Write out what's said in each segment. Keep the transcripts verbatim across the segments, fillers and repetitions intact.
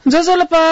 ज्वजलपा,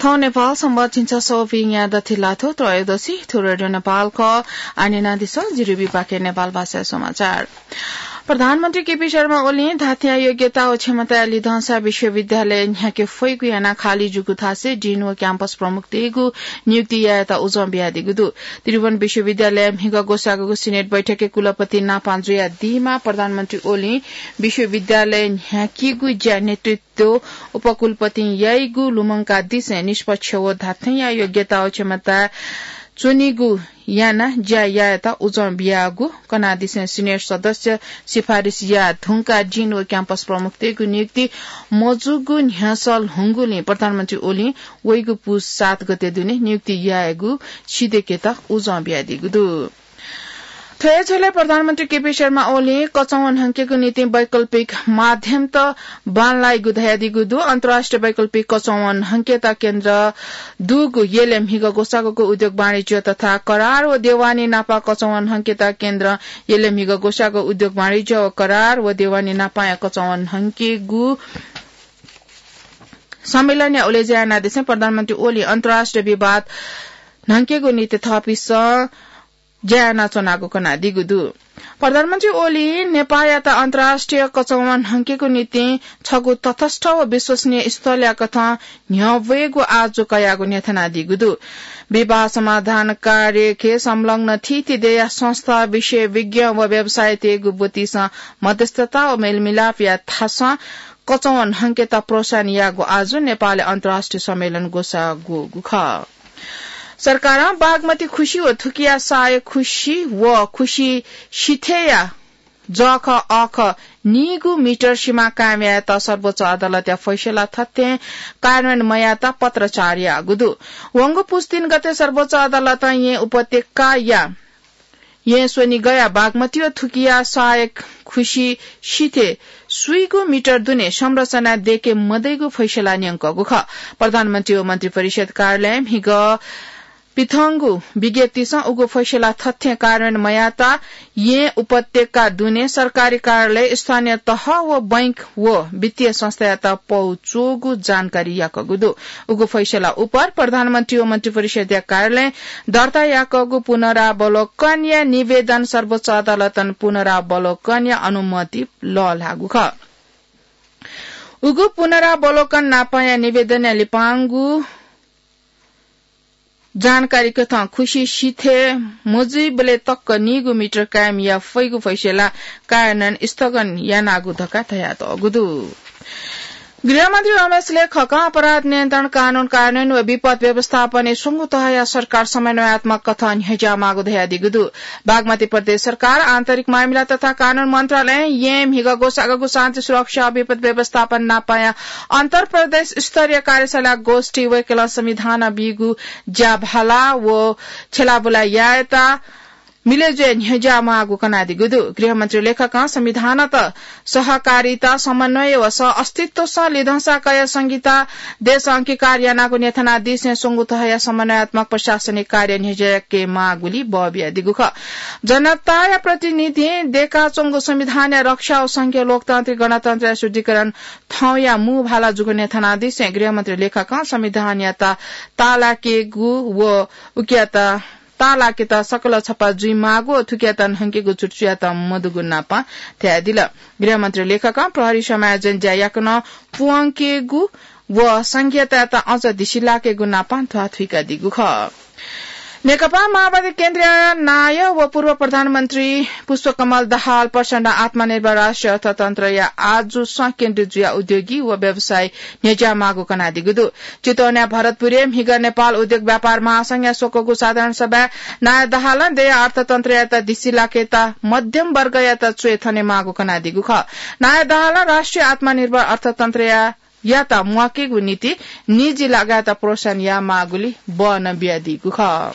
थौं नेपाल संवत् झिंछसः व पीन्या दथि लाथ्व त्रयोदशी, थ्व रेडियो नेपाल खः। आः न्यनादिसँ, जिरि बिपाखे नेपाल भाषाया समाचार। प्रधानमन्त्री केपी शर्मा ओलीं धात्थेंया योग्यता व क्षमताया लिधंसा विश्वविद्यालय न्ह्याके फइगु यानाः खाली जूगु थासय् डिन व क्याम्पस प्रमुखतय्गु नियुक्ति यायेत उजं बियादीगु दु। त्रिभुवन विश्वविद्यालयय् म्हिगः ग्वसाःगु सिनेट बैठकय् कुलपति नापं जुयादीमाः प्रधानमन्त्री ओलीं विश्वविद्यालय न्ह्याकीगु ज्या नेतृत्व उपकुलपतिं याइगु लुमंकादिसें निष्पक्ष व धात्थेंया योग्यता व क्षमता च्वनीगु यानाः ज्या यायेत उजं बियागु कनादिसें सिनेट सदस्य सिफारिस याये धुंकाः डिन व क्याम्पस प्रमुखतय्गु नियुक्ति मजूगु न्ह्यसः ल्ह्वंगुलिं प्रधानमन्त्री ओलीं वइगु पुस सात गते दुने नियुक्ति यायेगु सिधयेकेत उजं बियादीगु दु। थ्व हे झ्वलय् प्रधानमन्त्री केपी शर्मा ओलीं कचंवन हंकेगु निंतिं वैकल्पिक माध्यमत बांलाइगु धयादीगु दु। अन्तर्राष्ट्रिय वैकल्पिक कचंवन हंकेत केन्द्र दुगु यलय् म्हिगः ग्वसाःगुगु उद्योग वाणिज्य तथा करार व देवानी नापं कचंवन हंकेत केन्द्रं यलय् म्हिगः ग्वसाःगु उद्योग वाणिज्य व करार व देवानी नापंया कचंवन हंकेगु सम्मेलनया उलेज्या यानादिसें प्रधानमन्त्री ओलीं अन्तर्राष्ट्रिय विवाद न्हंकेगु निंतिं थःपिन्सं ज्या यानाच्वनागु कनादीगु दु। प्रधानमन्त्री ओलीं नेपाःयात अन्तर्राष्ट्रिय कचंवन हंकेगु निंतिं छगू तटस्थ व विश्वसनीय स्थलया कथं न्ह्यब्वयेगु आजु कयागु न्ह्यथनादीगु दु। विवाद समाधान कार्यखे संलग्न थीथी देय्या संस्था, विषय विज्ञ व व्यवसायीतय्गु ब्वतिसं मध्यस्थता व मेलमिलापया थासं कचंवन हंकेत प्रोत्साहन याःगु आजु नेपालय् अन्तर्राष्ट्रिय सम्मेलन ग्वसाःगु खः। सरकारं बागमती खुसि व थुकिया सहायक खुसि व खुसि सिथय्या जःखः अःखः नीगू मिटर सिमा कायम यायेत सर्वोच्च अदालतया फैसला थथें कार्यान्वयन मयायेत पत्राचार याःगु दु। वंगु पुस तीन गते सर्वोच्च अदालतं येँ उपत्यकाया येँ स्वनिगया बागमती व थुकिया सहायक खुसि सिथय् स्वीगू मिटर दुने संरचना दयेके मदइगु फैसला न्यंकःगु खः। प्रधानमन्त्री व मन्त्रिपरिषद कार्यालयं म्हिगः पिथंगु विज्ञप्तिसं उगु फैसला थथें कार्यान्वयन मयायेत येँ उपत्यका दुने सरकारी कार्यालय, स्थानीय तह व बैंक व वित्तीय संस्थायात पौ च्वःगु जानकारी याकःगु दु। उगु फैसला उपर प्रधानमन्त्री व मन्त्रिपरिषदया कार्यालयं दर्ता याकःगु पुनरावलोकनया निवेदन सर्वोच्च अदालतं पुनरावलोकनया अनुमति लःल्हाःगु खः। उगु पुनरावलोकन नापंया निवेदनया लिपांगु जानकारी कथं खुसि सिथय् मजुइबलय् तक्क नीगू मिटर कायम याये फइगु फैसला कार्यान्वयन स्थगन यानागु धकाः धयातःगु दु। गृहमन्त्री रमेश लेखकं अपराध नियन्त्रण कानून कार्यान्वयन व विपद व्यवस्थापनय् स्वंगू तहया सरकार समन्वयात्मक कथं न्ह्यज्याःमाःगु धयादीगु दु। बागमती प्रदेश सरकार, आन्तरिक मामिला तथा कानून मन्त्रालयं येँ म्हिगः ग्वसाःगु शान्ति सुरक्षा विपद व्यवस्थापन नापंया अन्तर प्रदेश स्तरीय कार्यशाला गोष्ठी वय्कलं संविधानं बीगु ज्याभाला व छ्यलाबुला यायेत मिलय् जुयाः न्ह्यज्याःमाःगु कनादीगु दु। गृहमन्त्री लेखकं संविधानत सहकारिता, समन्वय व सह अस्तित्वसं लिधंसा कयाः संहिता देशं अंगीकार यानागु न्ह्यथनादिसें स्वंगू तहया समन्वयात्मक प्रशासनिक कार्य न्ह्यज्याकेमाःगुलिं बः बियादीगु खः। जनताया प्रतिनिधिं दयेकाच्वंगु संविधानया रक्षा व संघीय लोकतान्त्रिक गणतन्त्रया सुदृढीकरण थौंया मू भाला जूगु न्ह्यथनादिसें गृहमन्त्री लेखकं संविधानयात ताःलाकेगु व उकियात ताःलाकेत सकल छपा जुइमाःगु व थुकियात न्हंकेगु चुटुचुयात मदुगु नापं धयादिल। गृहमन्त्री लेखकं प्रहरी समायोजन ज्या याकनं पुवंकेगु व संघीयतायात अझ धिसिलाकेगु नापं ध्वाथुइकादीगु खः। नेकपा माओवादी केन्द्रीय नायः व पूर्व प्रधानमन्त्री पुष्पकमल दाहाल प्रचण्डं आत्मनिर्भर राष्ट्रिय अर्थतन्त्रया आजुसं केन्द्रित जुयाः उद्योगी व व्यवसायी न्ह्यज्याःमाःगु कनादीगु दु। चितवनया भरतपुरय् म्हिगः नेपाल उद्योग व्यापार महासंघया स्वकःगु साधारण सभाय् नायः दाहालं देय्या अर्थतन्त्रयात धिसिलाकेत मध्यम वर्गयात च्वय् थनेमाःगु कनादीगु खः। नायः दाहालं राष्ट्रिय आत्मनिर्भर अर्थतन्त्रया यात म्वाकेगु निंतिं निजी लगायत प्रोत्साहन यायेमाःगुलिं बः नं बियादीगु खः।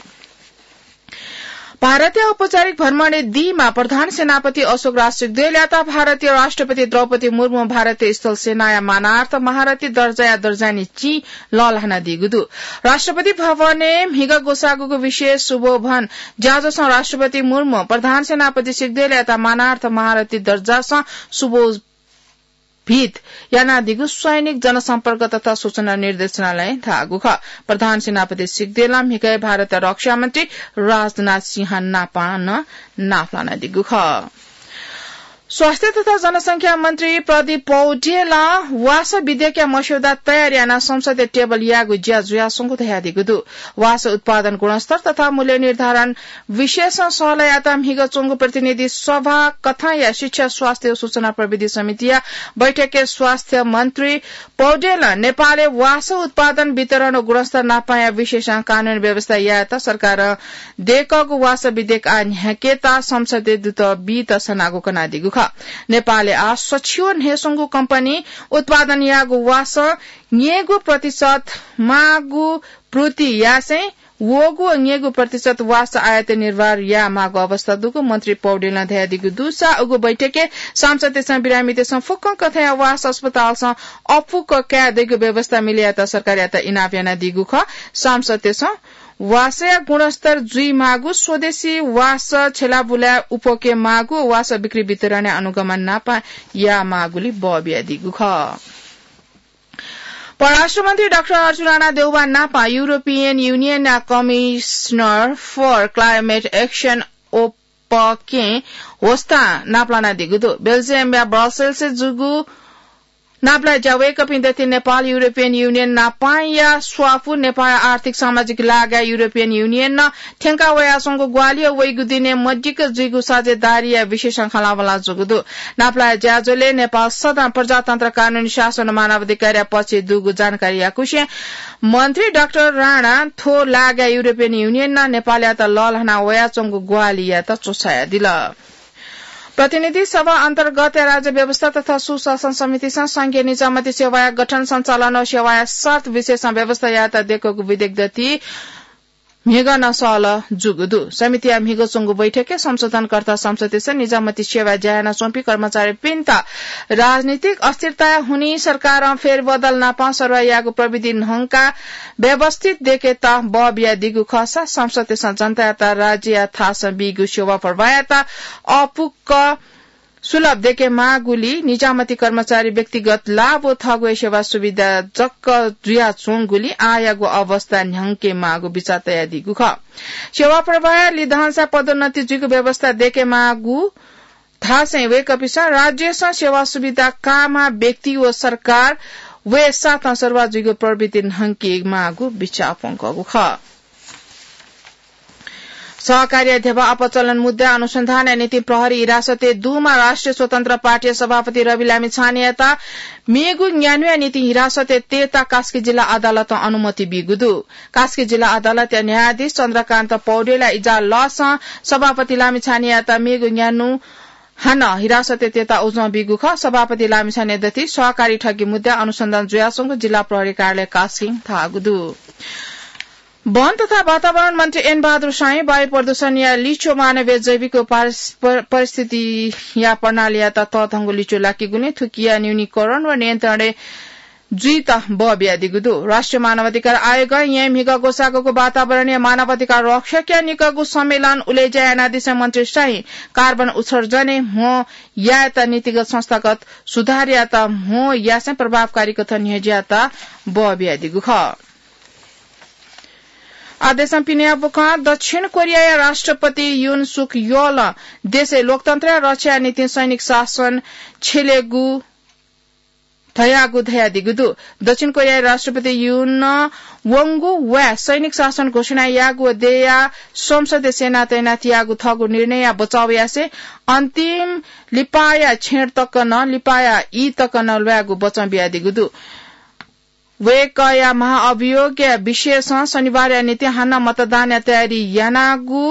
भारतय् औपचारिक भ्रमणय् दीमाः प्रधान सेनापति अशोक राज सिग्देलयात भारतीय राष्ट्रपति द्रौपदी मुर्मुं भारतीय स्थल सेनाया मानार्थ महारथी दर्जाया दर्जानी चिं लःल्हानादीगु दु। राष्ट्रपति भवनय् म्हिगः ग्वसाःगु विशेष सुभोभन ज्याझ्वलय् राष्ट्रपति मुर्मुं प्रधान सेनापति सिग्देलयात मानार्थ महारथी दर्जासं सुभो भित यानादीगु सैनिक जनसम्पर्क तथा सूचना निर्देशनालयं धाःगु खः। प्रधान सेनापति सिग्देलं म्हिगः भारतया रक्षा मन्त्री राजनाथ सिंह नापं नं नापलानादीगु खः। स्वास्थ्य तथा जनसंख्या मन्त्री प्रदीप पौडेलं वासः विधेयकया मस्यौदा तयार यानाः संसदय् टेबल यायेगु ज्या जुयाच्वंगु धयादीगु दु। वासः उत्पादन गुणस्तर तथा मूल्य निर्धारण विषयय् सहलह यायेत म्हिगः च्वंगु प्रतिनिधि सभा कथंया शिक्षा, स्वास्थ्य व सूचना प्रविधि समितिया बैठकय् स्वास्थ्य मन्त्री पौडेलं नेपालय् वासः उत्पादन, वितरण व गुणस्तर नापं यायेगु विषयय् कानूनी व्यवस्था यायेत सरकारं दय्कूगु वासः विधेयक आः न्ह्याकेत संसदय् दुत बीत सनागु कनादीगु खः। नेपालय् आः सछि व न्हय्स्वंगू कम्पनी उत्पादन याःगु वासः न्यय्गू प्रतिशत माःगु पूर्ति यासें वःगू व न्यय्गू प्रतिशत वासः आयात निर्वाह यायेमाःगु अवस्था दुगु मन्त्री पौडेलं धयादीगु दुसा उगु बैठकय् सांसदतय्सं बिरामीतय्सं फुक्कं कथंया वासः अस्पतालसं अःपुक काये दइगु व्यवस्था मिले यायेत सरकारयात इनाप यानादीगु खः। सांसदतय्सं वासःया गुणस्तर जुइमाःगु, स्वदेशी वासः छ्यलाबुलाय् उप्वके माःगु व वासः बिक्री वितरणय् अनुगमन नापं यायेमाःगुलिं बः बियादीगु खः। परराष्ट्र मन्त्री डाक्टर अर्जुन राणा देउबा नापं European Union-या Commissioner for Climate Action ओपकें होस्तां नापलानादीगु दु। बेल्जियमया ब्रसेल्सय् जूगु नापलाये ज्या वय्कःपिं दथुइ नेपाल European Union नापंया स्वापू, नेपाल आर्थिक सामाजिक लागाय् European Union-नं थ्यंका वयाच्वंगु ग्वाहालि व वइगु दिनय् मदिक्क जुइगु साझेदारीया विषयय् खँल्हाबल्हा जूगु दु। नापलाये ज्याझ्वलय् नेपाल सदां प्रजातन्त्र, कानूनी शासन व मानवाधिकारया पक्षय् दुगु जानकारी याकूसें मन्त्री डाक्टर राणां थ्व लागाय् European Union-नं नेपालयात लःल्हाना वयाच्वंगु ग्वाहालि यायेत च्वछायादिल। प्रतिनिधि सभा अन्तर्गतया राज्य व्यवस्था तथा सुशासन समितिसं संघीय निजामती सेवाया गठन, सञ्चालन व सेवाया शर्त विषयय् व्यवस्था यायेत दय्कूगु विधेयक दथुइ म्हिगः नं सहलह जूगु दु। समितिया म्हिगः च्वंगु बैठकय् संशोधनकर्ता सांसदतय्सं निजामती सेवाय् ज्या यानाच्वंपिं कर्मचारीपिन्त राजनीतिक अस्थिरताया हुनिं सरकारं फेरबदल नापं सरुवा यायेगु प्रविधि न्हंकाः व्यवस्थित दय्केत बः बियादीगु खःसा सांसदतय्सं जनतायात राज्यया थासं बीगु सेवा प्रवाहयात अःपुक सुलभ दय्केमाःगुलिं निजामती कर्मचारी व्यक्तिगत लाभ व थःगु हे सेवा सुविधा जक जुयाच्वंगुलिं आःयागु अवस्था न्ह्याकेमाःगु बिचाः तयादीगु खः। सेवा प्रवाह लिधंसा पदोन्नति जुइगु व्यवस्था दय्केमाःगु धासें वय्कःपिन्सं राज्यसं सेवा सुविधा काःम्ह व्यक्ति व सरकार वय्साथं सरुवा जुइगु प्रविधि न्हंकेमाःगु बिचाः प्वंकूगु खः। सहकारीया ध्यबा अपचलन मुद्दा अनुसन्धानया निंतिं प्रहरी हिरासतय् दुम्ह राष्ट्रिय स्वतन्त्र पार्टीया सभापति रवि लामिछानेयात मेगु न्यान्हुया निंतिं हिरासतय् तयेत कास्की जिल्ला अदालतं अनुमति बीगु दु। कास्की जिल्ला अदालतया न्यायाधीश चन्द्रकान्त पौडेलया इजालसं सभापति लामिछानेयात मेगु न्यान्हु हानं हिरासतय् तयेत उजं बीगु खः। सभापति लामिछाने दथुइ सहकारी ठगी मुद्दा अनुसन्धान जुयाच्वंगु जिल्ला प्रहरी कार्यालय कास्कीं धाःगु दु। वन तथा वातावरण मन्त्री एन बहादुर शाहीं वायु प्रदूषणया लिच्वः मानवीय जैविक व पारिस-, पर-, परिस्थितिया प्रणालीयात तःधंगु लिच्वः लाकीगुलिं थुकिया न्यूनीकरण व नियन्त्रणय् जुइत बः बियादीगु दु। राष्ट्रिय मानवाधिकार आयोगं येँ म्हिगः ग्वसाःगु वातावरणीय मानवाधिकार रक्षकया निकःगु सम्मेलन उलेज्या यानादिसें मन्त्री शाहीं कार्बन उत्सर्जनय् म्हो यायेत नीतिगत संस्थागत सुधारयात म्हो यासें प्रभावकारी कथं न्ह्यज्यायेत बः बियादीगु खः। आः देशं पिनेया बुखँ। दक्षिण कोरियाया राष्ट्रपति युन सुक योलं देशय् लोकतन्त्रया रक्षाया निंतिं सैनिक शासन छ्यलेगु धयागु धयादीगु दु। दक्षिण कोरियाया राष्ट्रपति युनं वंगु वाय् सैनिक शासन घोषणा याःगु व देय्या संसदय् सेना तैनात याःगु थःगु निर्णयया बचाव यासें अन्तिम लिपाया छेँड तक नं, लिपाया ई तक नं ल्वायेगु बचं बियादीगु दु। वय्कःया महाअभियोगया विषयसं शनिबारया निंतिं हानं मतदानया तयारी यानागु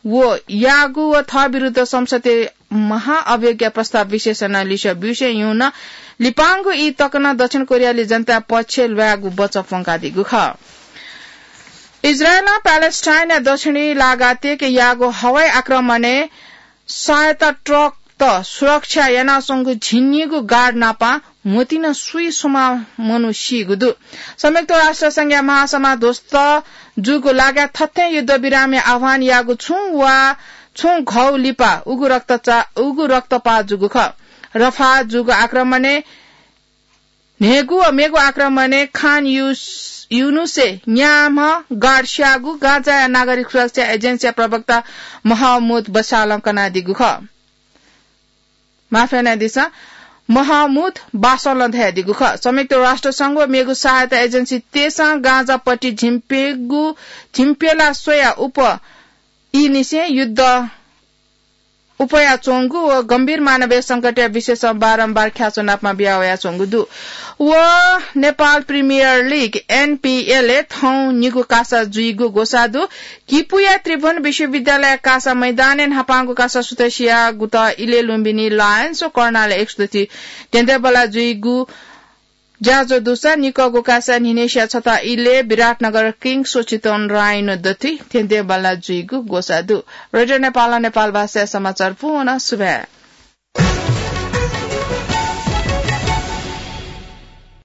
व याःगु व थः विरुद्ध संसदय् महाअभियोगया प्रस्ताव विषयसं नं लिसः ब्यूसें युनं लिपांगु ई तक नं दक्षिण कोरियाली जनताया पक्षय् ल्वायेगु बचं प्वंकादीगु खः। इजरायलं प्यालेस्टाइनया दक्षिणी लागातिक याःगु हवाई आक्रमणय् सहायता ट्रकत सुरक्षा यानाच्वंगु झिंनिगू गार्ड नापं म्होतिं नं सुइसुमा मनू सीगु दु। संयुक्त राष्ट्र संघया महासभा ध्वस्त जूगु लागाय् थथें युद्धविरामया आह्वान याःगु छुं वा छुं घौ लिपा उगु रक्तचा-, उगु रक्तपात जूगु खः। रफाह जूगु आक्रमणय् न्हय्गू व मेगु आक्रमणय् खान युस-, युनुसय् न्याम्ह गार्ड स्याःगु गाँजाया नागरिक सुरक्षा एजेन्सीया प्रवक्ता महमुद बसालं कनादीगु खः। माफ यानादिसँ, महमुद बासलं धयादीगु खः। संयुक्त राष्ट्र संघ व मेगु सहायता एजेन्सीतय्सं गाँजापट्टि झिंप्यगु, झिंप्यला स्वया उप ई निसें युद्ध उपयाच्वंगु व गम्भीर मानवीय संकटया विषयसं बारम्बार ख्याच्वनापं बिया वयाच्वंगु दु। व नेपाल प्रिमियर लिग, एनपिएलय् थौं निगू कासा जुइगु ग्वसाः दु। किपूया त्रिभुवन विश्वविद्यालय कासा मैदानय् न्हापांगु कासा सुथसिया गुतः इलय् लुम्बिनी लायन्स व कर्णाली एक्सदथि धेंधेंबल्लाः जुइगु ज्याझ्वः दुसा निकःगु कासा न्हिनय्सिया छता इलय् विराटनगर किङ्स व चितवन राइनो दथि धेंधेंबल्लाः जुइगु ग्वसाः दु। रेडियो नेपालं नेपाल भाषाया समाचार पूवं सुभाय्।